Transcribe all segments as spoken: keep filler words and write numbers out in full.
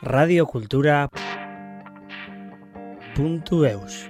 radiokultura puntu eus.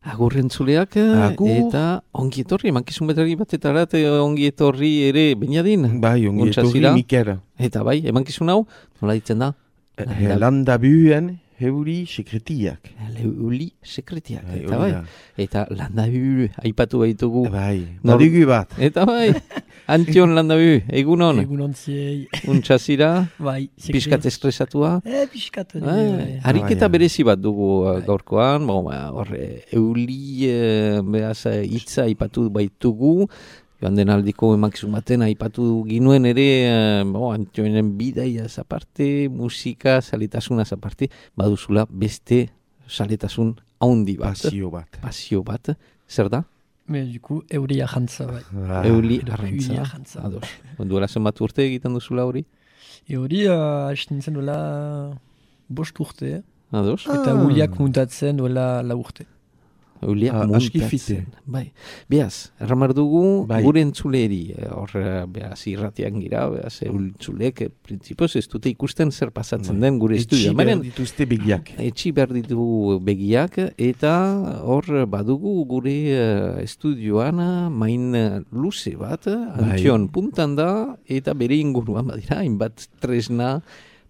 Agur entzuleak, Agur. eta ongi etorri, emankizun betrari batetara, eta ongi etorri ere Beñadin. Bai, ongi Ontsa etorri zira? Mikel. Eta bai, emankizun hau, nola ditzen da? Eh, Landa buen heuri sekretiak. Leuli sekretiak, Bai, eta hori bai. da. Eta landabu, aipatu baitugu. Bai, Nor- badigu bat. Eta bai, Antion landabu, egunon, Egunon ziei, untsa zira, bai. pixkat estresatua. Eh, piskat. hori, Bai, bai. ariketa Ah, bai. berezi bat dugu uh, Bai. gaurkoan, bo, ba, hor, eh, euli, eh, behaz, eh, hitza aipatu baitugu, joan den aldiko emakizun baten aipatu ginuen ere, eh, bo, Antionen bidaia aparte, musika, zaletasuna aparte, baduzula beste zaletasun haundi bat. Pasio bat. Pasio bat, zer da? Me, du coup, euria jantza, bai. Ah, Euli edo arrantza. eulia jantza. Ados. Duela zenbat urte egiten duzula hori? Euri, uh, hasten nintzen duela bost urte, Ados? eta Ah. uliak muntatzen duela lau urte. Euliak Ah, aski muntatzen. fite. Bai. Beaz, erramar dugu Bai. gure entzuleri. eh, Hor, eh, beaz, irratian gira, beaz, entzulek, eh, printzipioz ez dute ikusten zer pasatzen den gure Etxi estudioa. behar Baina, dituzte begiak. etxi behar ditu begiak, eta hor badugu gure eh, estudioan eh, main eh, luze bat, eh, Antion puntan da, eta bere inguruan badira, hainbat tresna,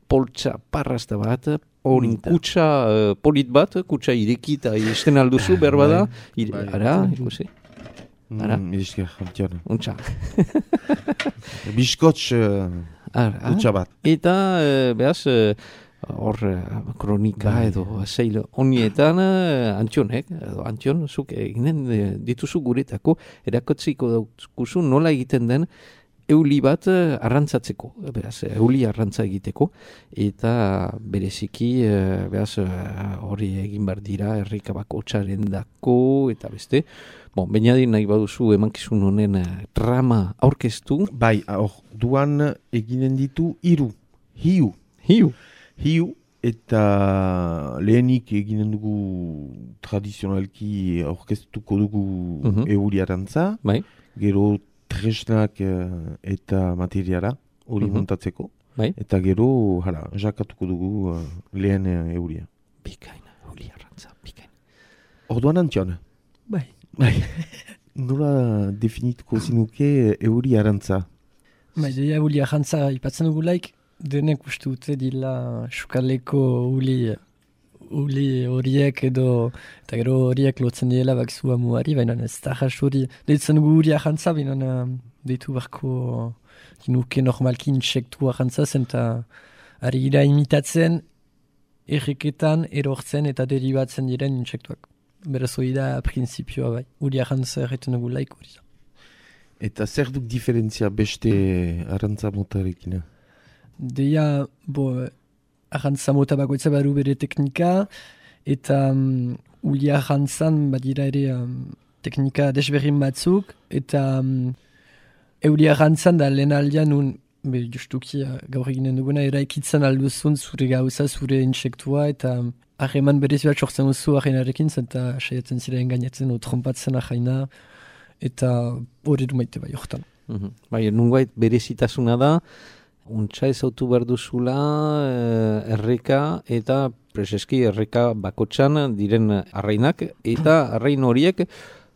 poltsa parrasta bat, hori Polita. kutsa eh, polit bat, kutsa irekita izten alduzu, behar bada, ire, bai. ara, ikusi, Ara. Mm, Esker, jantian. untxa. Biskotx uh, Ara, utxa bat. eta, eh, behaz, eh, hor eh, kronika Bai. edo zeil honietan eh, Antionek, edo Antion, zuk eginen eh, dituzu guretako, erakotziko daukuzu nola egiten den euli bat eh, arrantzatzeko, beraz, eh, euli arrantza egiteko, eta bereziki, eh, beraz, eh, hori egin behar dira, herrikabako txaren dako, eta beste. Bon, Beñadin nahi baduzu emankizun honen eh, trama aurkeztu, Bai, hor, duan eginen ditu hiru. Hiu. hiu. Hiu. Eta lehenik eginen dugu tradizionalki aurkeztuko dugu Mhm. euri arantza. Bai. Gero tresnak eh, eta materiala hori Mhm. montatzeko. Bai. Eta gero, hala, jakatuko dugu eh, lehen eh, euria. Bikaina, euli arrantza, bikaina. Orduan Antion, Bai. nola definituko zinuke euri arantza? Bai, deia ulia jantza ipatzen dugu laik, denek uste dute dila sukaleko uli, uli horiek edo, eta gero horiek lotzen diela bakzu amuari, baina ez da jas hori, deitzen dugu ulia jantza, baina um, deitu barko ginuke normalki insektua jantza zen, eta ari gira imitatzen erreketan erortzen eta deribatzen diren insektuak. Beraz hori da prinsipioa bai, ulia jantza erretzen dugu laik hori da. Eta zer duk diferentzia beste arantza motarekin? Deia, bo, arrantza mota bakoitza badu bere teknika, eta um, ulia arrantzan badira ere um, teknika desberdin batzuk, eta um, eulia arrantzan da lehen aldean un, be, justuki uh, gaur eginen duguna, eraikitzen alduzun zure gauza, zure insektua, eta um, harreman berezi bat sortzen duzu arrenarekin, eta saiatzen ziren gainatzen, o trompatzen arraina, eta hori du maite bai hortan. Mhm. Bai, nungait berezitasuna da, untsa ezautu behar duzula eh, erreka eta preseski erreka bakotxan diren arrainak, eta arrain horiek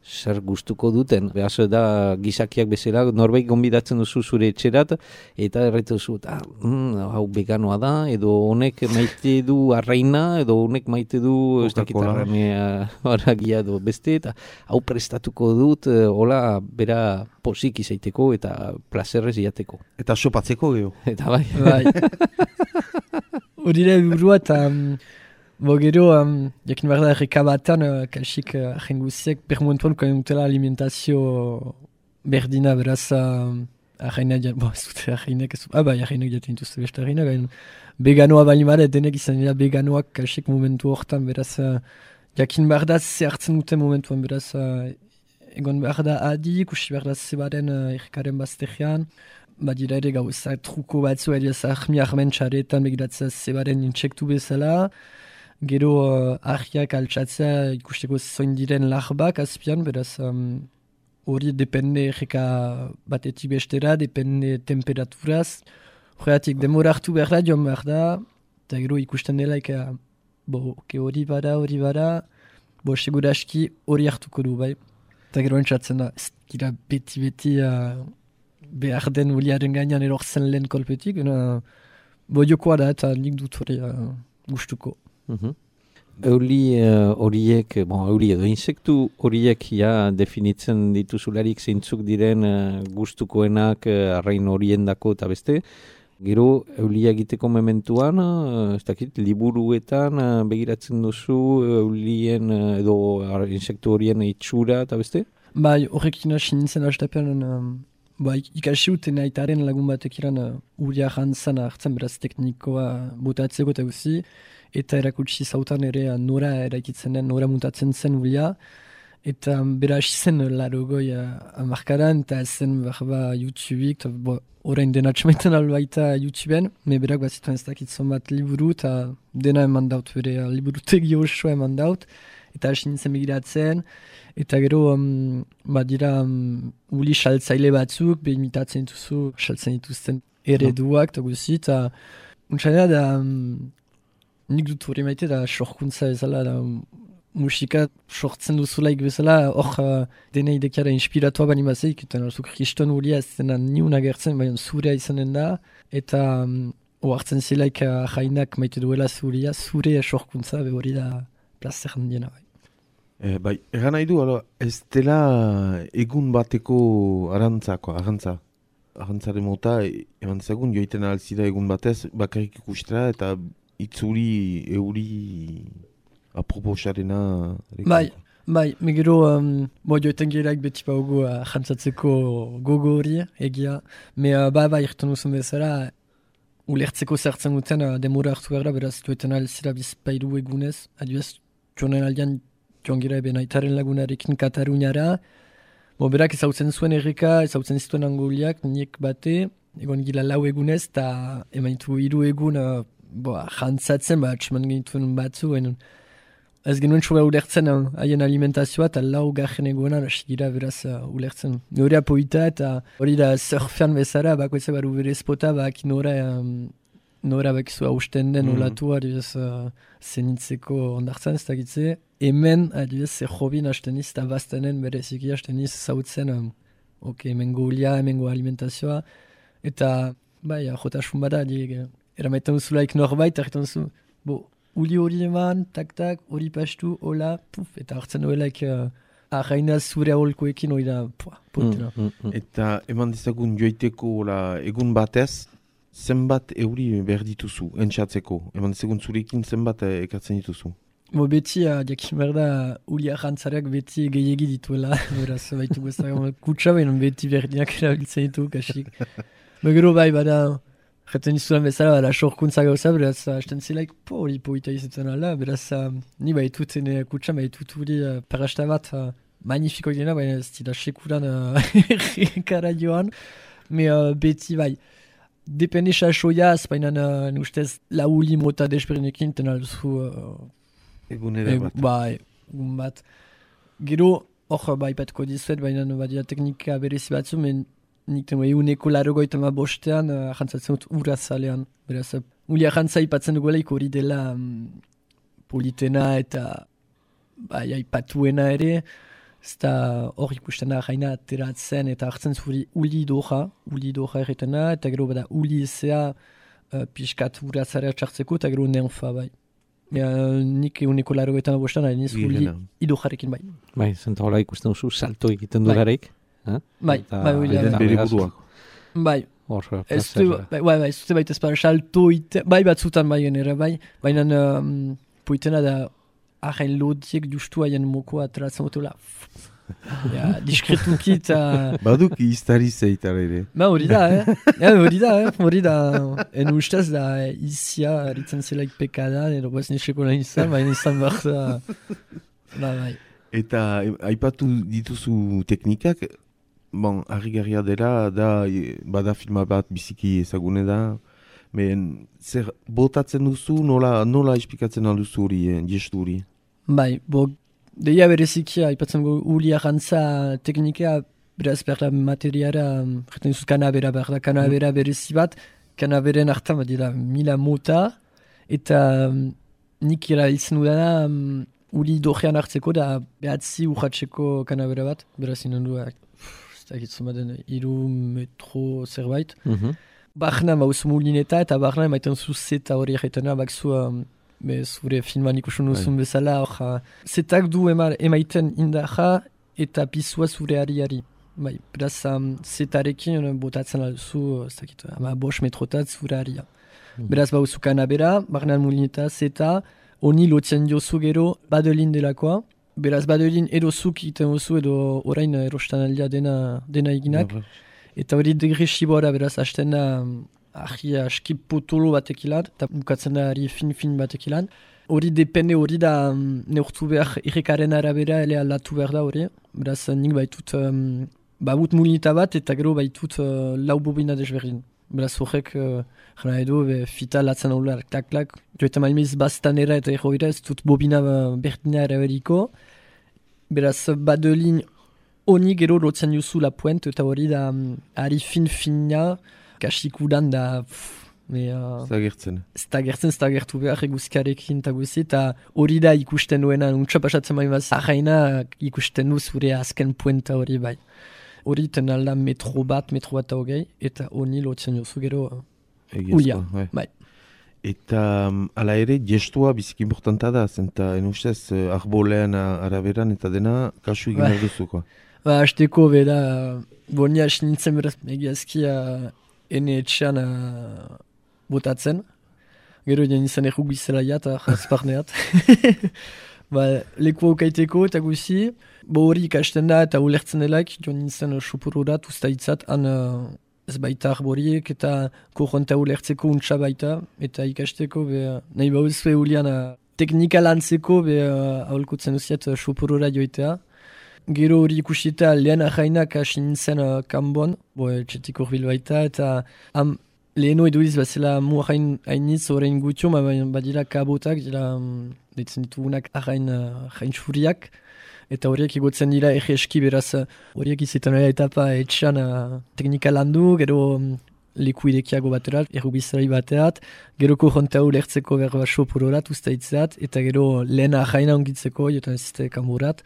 zer gustuko duten. Beaz da gizakiak bezala, norbait gonbidatzen duzu zure etxerat, eta erretu duzu, ah, mm, hau veganoa da, edo honek maite du arraina, edo honek maite du ez dakit Coca-Cola. arrainea haragia edo beste, eta hau prestatuko dut, eh, hola, bera posik izaiteko eta plazerrez iateko. Eta sopatzeko geho. Eta bai, Bai. Hori da burua eta um, bo gero, um, jakin behar da erreka batan, uh, kalsik uh, ahen guziek, permoentuan koen dutela alimentazio berdina, beraz, uh, ahainak, bo, ez dute ahainak, ez, ah bai, ahainak jaten dituzte beste ahainak, baina veganoa bali mara, denek izan dira veganoak kalsik momentu hortan, beraz, uh, jakin behar da ze hartzen dute momentuan, beraz, uh, egon behar da adi, ikusi behar da zebaren uh, errekaren baztegian, badira ere gauza truko batzu, edo zahmi armen txaretan begiratzea zebaren intsektu bezala, gero uh, ahiak altxatzea ikusteko zoin diren larbak azpian, beraz um, hori depende erreka batetik bestera, depende temperaturaz. Horregatik demora hartu behar da, joan behar da, eta gero ikusten dela, eka, bo, ke hori bada, hori bada, bo, seguraski hori hartuko du, bai. Eta gero entzatzen da, ez dira beti-beti uh, behar den uliaren gainean erortzen lehen kolpetik, ena, bo, jokoa da, eta nik dut hori uh, gustuko. Mhm. Euli uh, horiek, bon, euli edo insektu horiek ja definitzen dituzularik zeintzuk diren uh, gustukoenak uh, arrain horiendako eta beste. Gero eulia egiteko mementuan, uh, ez dakit, liburuetan uh, begiratzen duzu eulien uh, edo ar, insektu horien itxura eta beste? Bai, horrekin hasi nintzen hastapean, um, bai, ikasi uten aitaren lagun batek iran uh, uria jantzan hartzen beraz teknikoa botatzeko eta guzi, eta erakutsi zautan ere nora eraikitzen den, nora mutatzen zen ulia, eta bera hasi zen larogoi amarkadan, eta zen berba YouTubeik, eta orain dena txamaiten albaita YouTubeen, me berak bat zituen ez dakitzen bat liburu, eta dena eman daut, bere liburutegi osoa eman daut, eta hasi nintzen begiratzen, eta gero, um, badira, um, uli saltzaile batzuk, be imitatzen dituzu, saltzen dituzten ereduak, eta guzi, eta untxanera da, um, nik dut hori maite da sorkuntza bezala, da musika sortzen duzulaik bezala, hor uh, dena idekiara inspiratua bani bazeik, eta narzuk kriston hulia ez dena niun agertzen, baina zurea izanen da, eta um, oartzen zilaik uh, jainak maite duela zuria, zure sorkuntza, be hori da plazer handiena bai. Eh, bai, egan nahi du, alo, ez dela egun bateko arantzako, arantza. Arantzaren mota, eman zagun, joiten alzira egun batez, bakarrik ikustera, eta itzuri, euri, aproposarena... Bai, bai, megero, um, bo joetan geraik beti baugu uh, jantzatzeko gogo hori, egia. Me, uh, ba, ba, irten uzun bezala, ulertzeko zertzen guten, uh, demora hartu gara, beraz, joetan alzira bizpairu egunez, adioez, joanen aldean, joan gira eben aitaren lagunarekin Kataluniara, bo, berak ezautzen zuen erreka, ezautzen zituen angoliak, niek bate, egon gila lau egunez, eta emaitu hiru egun, uh, Boa, jantzatzen, ba, atxeman genituen batzu, en, ez genuen txoga ulertzen haien uh, alimentazioa, eta lau garren egoenan, hasi gira beraz uh, ulertzen. Nore apoita, eta hori da surfean bezala, bako ez baru bere spota, bak nora, um, nora bakizu hausten den mm-hmm. olatu, adibidez, uh, zenitzeko ondartzen, ez dakitze. Hemen, adibidez, ze jobin hasten iz, eta baztenen bereziki hasten iz, zautzen, um, ok, hemengo ulia, hemengo alimentazioa, eta, bai, jotasun bada, adi, eramaiten duzulaik norbait, erretan duzu, bo, uli hori eman, tak-tak, hori pastu, hola, puf, eta hartzen duelaik uh, arraina zure aholkoekin hori da, pua, potena. Mm, mm, mm. Eta eman dizagun joiteko la, egun batez, zenbat euri behar dituzu, entxatzeko? Eman dizagun zurekin zenbat ekartzen dituzu? Bo, beti, uh, jakin behar da, uli arrantzareak beti gehiagi dituela, beraz, baitu guztak, kutsa behin beti berdinak erabiltzen ditu, kasik. Begero bai, bada, Jaten izudan bezala, bada, sorkuntza gauza, beraz, hasten zilaik, po, hori poita izaten ala, beraz, uh, ni baitut ene kutsa, baitut hori uh, parasta bat, uh, magnifiko dena, baina ez dira sekuran errekara uh, joan, me uh, beti bai, depende sasoiaz, baina uh, ustez lauli mota desberdinekin, ten alduzu... Uh, Egunera e, bat. Bai, egun bat. Gero, hor, bai, patko dizuet, baina badia teknika berezi batzu, men nik tengo eguneko larogoita ma bostean, uh, jantzatzen dut urazalean. Beraz, uh, uli ajantza ipatzen duguelaik hori dela um, politena eta bai, aipatuena ere, zta hor ikusten da jaina ateratzen eta hartzen zuri uli doja, uli doja erretena, eta gero bada uli ezea uh, pixkat urazarea txartzeko, eta gero nenfa bai. Ja, nik eguneko larogoita ma bostean, hain ez uli idojarekin bai. Bai, zenta hola ikusten duzu, salto egiten durareik. Bai, bai, bai, bere buruak. Bai, ez du, bai, bai, ez dute baita ezpara salto ite, bai batzutan bai genera, bai, baina um, poitena da ahain lodiek justu haien mokoa ateratzen motola. Ja, diskretunki eta... Baduk iztari zeitar ere. Ba, hori da, eh? Ja, hori da, eh? Hori da, en ustez da izia, eritzen zelaik pekadan, edo baz neseko nahi izan, baina izan behar da... Ba, bai. Eta aipatu dituzu teknikak, bon, harrigarria dela, da, bada filma bat biziki ezagune da, men, zer botatzen duzu, nola, nola esplikatzen alduzu hori, eh, gestu hori? Bai, bo, deia bereziki, aipatzen gu uli arrantza teknika beraz behar da materiara, jaten duzut kanabera behar da, kanabera berezi bat, kanaberen hartan bat dira mila mota, eta um, nik erabiltzen dudana um, uli dojean hartzeko da behatzi urratzeko kanabera bat, beraz inen du, ez da egitzen baden, iru metro zerbait. Mhm. Barna mauzu mulineta eta barna emaiten zu zeta hori egiten, bakzu um, be, zure filman ikusun duzun bezala, hor, zetak du ema, emaiten indaja eta pisua zure ariari. Bai, beraz, um, zetarekin botatzen alduzu, ez dakit, ama bost metrotat zure aria. Mm. Beraz, bauzu kanabera, barnan mulineta, zeta, honi lotzen diozu gero badelin delakoa. Beraz, badelin edo zuk iten duzu edo orain erostan aldia dena, dena eginak. Ja, eta hori degresiboara, beraz, hasten da ahi aski potolo batek ilan, eta bukatzen da ari fin-fin batek ilan. Hori depende hori da um, neurtu behar irrekaren arabera ele aldatu behar da hori. Beraz, nik baitut um, babut mulineta bat eta gero baitut uh, lau bobina desberdin. Beraz, horrek, uh, jana edo, be, fita latzen hau lar, klak-klak. Joetan malmiz bastanera eta ego bera, ez dut bobina berdina eraberiko. Beraz, badelin honi gero lotzen juzu la puente eta hori da um, ari fin-fina, kasikudan da... Pff, Uh, Zagertzen. Zagertzen, zagertu behar eguzkarekin eta guzi, eta hori da ikusten duena, untsa pasatzen bai bat zahaina ikusten du zure azken puenta hori bai. Hori ten alda metro bat, metro bat hogei, eta honi lotzen jozu gero uh, ulia. Bai. Eta um, ala ere, gestua biziki importanta da, zenta enustez uh, arbolean araberan eta dena kasu egin hor duzuko. Ba, azteko bera, boni hasi nintzen beraz, egiazkia ene etxean uh, botatzen. Gero egin izan erruk bizela eta jazparneat. Ba, leku aukaiteko eta guzi. Bo hori ikasten da eta ulertzen delaik, joan nintzen sopururat ustaitzat, han uh, ez baita arboriek eta korronta ulertzeko untsa baita. Eta ikasteko, be, nahi bauzue ulian uh, teknika lantzeko, be, uh, aholkutzen duziet uh, sopurura joitea. Gero hori ikusita lehen ahainak hasi nintzen uh, kanbon, bo, txetik urbil baita, eta am, leheno eduiz bazela mu ahain hainitz horrein gutio, ma badira kabotak, dira um, ditzen ditugunak ahain uh, xuriak, eta horiek igotzen dira egeski beraz, horiek izetan hori etapa etxan uh, teknika landu, gero um, leku idekiago baterat, errubizari baterat, gero korronta ulertzeko berba sopurorat ustaitzeat, eta gero lehen ahaina ongitzeko, jotan ez zite kanborat.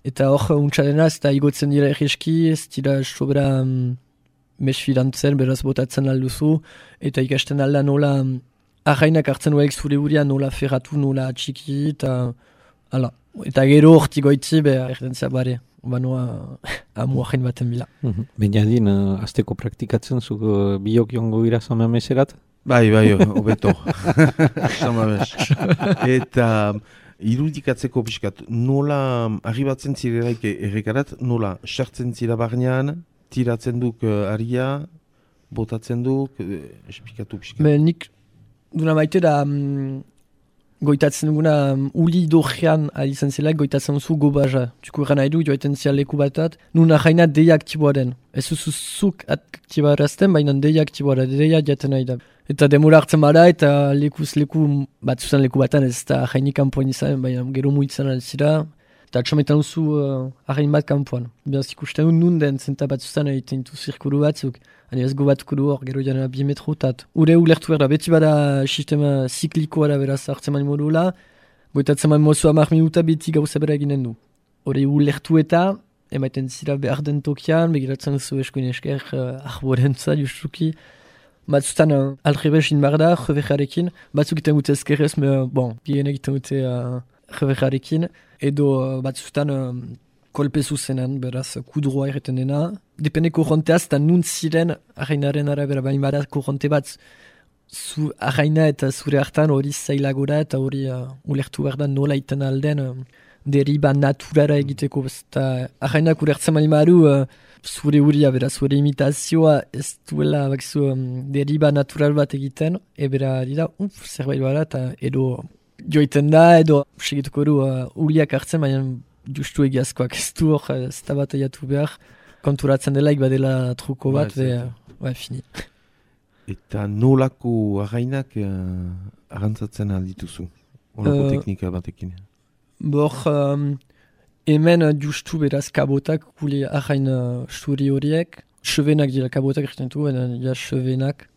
Eta hor, untxadena, ez da igotzen dira egeski, ez dira sobera um, mesfidantzen, beraz botatzen alduzu, eta ikasten alda nola um, ahainak hartzen duaik zure urian nola ferratu, nola atxiki, eta ala. Eta gero horti goitzi, beha erdentzia bare, banoa amu ahain baten bila. Mm-hmm. Benjadin, uh, azteko praktikatzen zuk uh, biok jongo gira zama meserat? Bai, bai, hobeto. Zama mes. Eta... irudikatzeko pixkat, nola arribatzen zirelaik errekarat, nola sartzen zira barnean, tiratzen duk uh, aria, botatzen duk, eh, esplikatu pixkat. Me, nik duna maite da um, goitatzen duguna um, uli dojean alizan zela, goitatzen zu gobaja. Tuko eran nahi du, joaiten zia leku batat, nuna jaina deia aktiboa den. Ez zuzuk aktiboa erazten, baina deia aktiboa da, deia jaten nahi da. Eta demora hartzen bada eta lekuz leku bat zuzan leku batan ez da jainik kanpoan izan, baina gero muitzen alzira. Eta atxometan duzu uh, ahain bat kanpoan. Beraz ikusten dut nun den zenta bat zuzan egiten du zirkuru batzuk. Hani ez gobatuko du hor, gero jana bi metrotat. Ure ulertu behar da, beti bada sistema ziklikoa da beraz hartzen mani modula. Goitatzen mani mozu hamar minuta beti gauza bera eginen du. Hore ulertu eta emaiten zira behar den tokian, begiratzen zu eskuin esker uh, arborentza justuki. Batzutan uh, alrebez in behar da, jebejarekin. Batzuk egiten dute ezkerrez, me, bon, gien egiten dute uh, jebejarekin. Edo uh, batzutan uh, kolpe zuzenan, beraz, kudroa erreten dena. Depende korronteaz, eta nun ziren arrainaren arabera, baina bada korronte bat zu arraina eta zure hartan hori zailagora eta hori uh, ulertu behar da nola iten alden uh, deriba naturara egiteko. Eta arrainak ulertzen mani maru, uh, zure huria, bera, zure imitazioa ez duela bakzu um, deriba natural bat egiten, ebera dira, uf, zerbait bada, eta edo joiten da, edo segituko du uh, huriak hartzen, baina justu egiazkoak ez du hor, ez da bat aiatu behar, konturatzen dela, ikbadela truko bat, be, uh, fini. Eta nolako arrainak uh, arrantzatzen aldituzu? Olako uh, teknika batekin? Bor, um, hemen uh, justu beraz kabotak, gule arrain uh, sturi horiek, chevenak dira kabotak erretzen du, ja chevenak,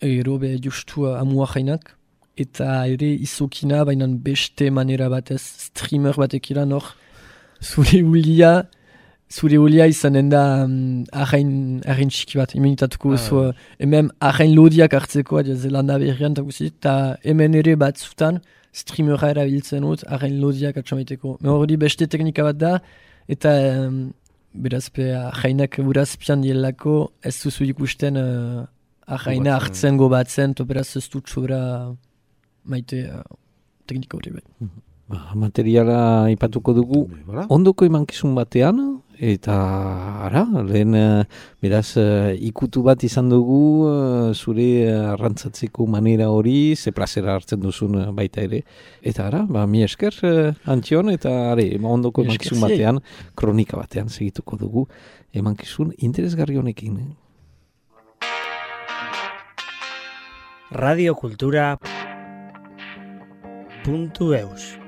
ero be justu uh, amu arrainak, eta ere izokina, baina beste manera batez, streamer batekira nor, zure ulia, zure ulia izanen da um, arrain, arrain txiki bat, imenitatuko ah, so, uh, hemen arrain lodiak hartzeko, adia zelanda berrian, eta hemen ere batzutan, streamera erabiltzen dut, arrain lodiak atxamaiteko. Hori beste teknika bat da, eta um, beraz be arrainak urazpian dielako, ez duzu ikusten uh, arraina hartzen gobatzen, to beraz ez dut sobra maite uh, teknika hori bai. Ba, materiala ipatuko dugu, ondoko emankizun batean, eta ara, lehen beraz ikutu bat izan dugu zure arrantzatzeko manera hori, ze plazera hartzen duzun baita ere. Eta ara, ba, mi esker Antxon, eta are, ondoko emankizun batean, kronika batean segituko dugu, emankizun interesgarri honekin. radiokultura puntu eus